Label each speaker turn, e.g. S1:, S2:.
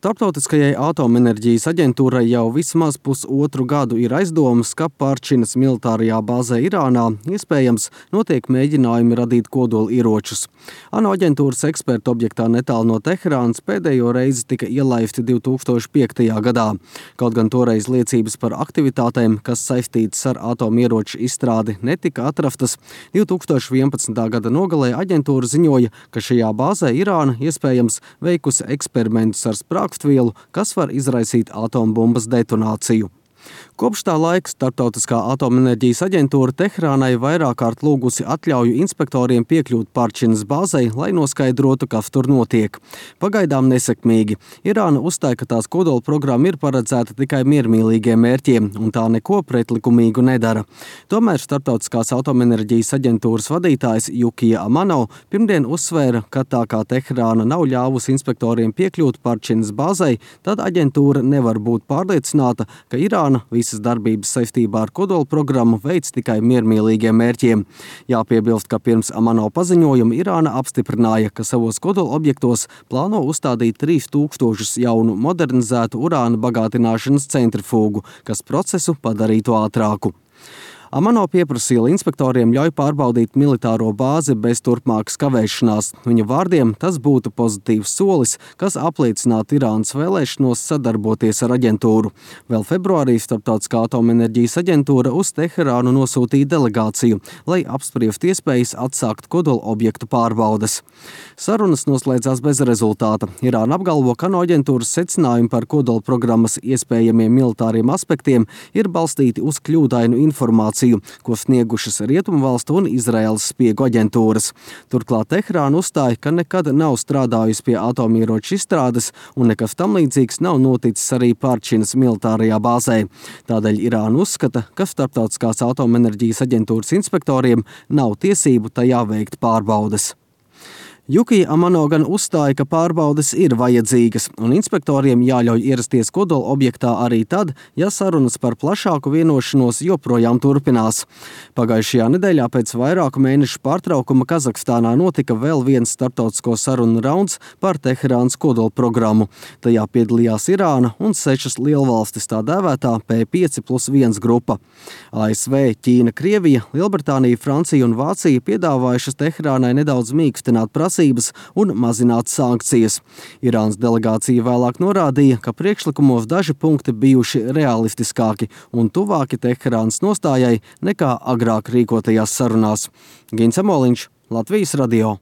S1: Starptautiskajai atomenerģijas aģentūrai jau vismaz pusotru gadu ir aizdomas, ka Parčinas militārajā bāzē Irānā iespējams notiek mēģinājumi radīt kodolieročus. ANO aģentūras eksperti objektā netālu no Teherānas pēdējo reizi tika ielaisti 2005. gadā. Kaut gan toreiz liecības par aktivitātēm, kas saistītas ar atomieroču izstrādi, netika atrastas, 2011. gada nogalē aģentūra ziņoja, ka šajā bāzē Irāna iespējams veikusi eksperimentus ar sprāgstvielu, kas var izraisīt atombumbas detonāciju. Kopš tā laika Starptautiskā atomenerģijas aģentūra Teherānai vairāk kārt lūgusi atļauju inspektoriem piekļūt Parčinas bāzei, lai noskaidrotu, kas tur notiek. Pagaidām nesekmīgi. Irāna uzstāja, ka tās kodola programma ir paredzēta tikai miermīlīgiem mērķiem, un tā neko pretlikumīgu nedara. Tomēr Starptautiskās atomenerģijas aģentūras vadītājs Jukija Amano pirmdien uzsvēra, ka tā kā Teherāna nav ļāvusi inspektoriem piekļūt Parčinas bāzei, tad aģentūra nevar būt pārliecināta, ka Irāna visas darbības saistībā ar kodola programmu veids tikai miermīlīgiem mērķiem. Jāpiebilst, ka pirms Amano paziņojuma Irāna apstiprināja, ka savos kodola objektos plāno uzstādīt 3000 jaunu modernizētu urāna bagātināšanas centrifūgu, kas procesu padarītu ātrāku. Amano pieprasīja inspektoriem ļauj pārbaudīt militāro bāzi bez turpmākas kavēšanās. Viņa vārdiem tas būtu pozitīvs solis, kas apliecinātu Irānas vēlēšanos sadarboties ar aģentūru. Vēl februārī Starptautiskā atomenerģijas aģentūra uz Teherānu nosūtīja delegāciju, lai apspriestu iespējas atsākt kodola objektu pārbaudes. Sarunas noslēdzās bez rezultāta. Irāna apgalvo, ka no aģentūras secinājumi par kodola programmas iespējamiem militāriem aspektiem ir balstīti uz kļūdainu informāciju, ko sniegušas Rietumvalstu un Izraēlas spiegu aģentūras. Turklāt Teherāna uzstāja, ka nekad nav strādājusi pie atomieroču izstrādes un nekas tam līdzīgs nav noticis arī Parčinas militārajā bāzē. Tādēļ Irāna uzskata, ka Starptautiskās atomenerģijas aģentūras inspektoriem nav tiesību tajā veikt pārbaudes. Jukija Amano gan uzstāja, ka pārbaudes ir vajadzīgas, un inspektoriem jāļauj ierasties kodola objektā arī tad, ja sarunas par plašāku vienošanos joprojām turpinās. Pagājušajā nedēļā pēc vairāku mēnešu pārtraukuma Kazahstānā notika vēl viens starptautisko sarunu rauns par Teherānas kodola programmu. Tajā piedalījās Irāna un 6 lielvalstis, tā dēvētā P5+1 grupa. ASV, Ķīna, Krievija, Lielbritānija, Francija un Vācija piedāvājušas Teherānai nedaudz mīkstināt prasības un mazināt sankcijas. Irānas delegācija vēlāk norādīja, ka priekšlikumos daži punkti bijuši realistiskāki un tuvāki Teherānas nostājai nekā agrāk rīkotajās sarunās. Gins Amoliņš, Latvijas radio.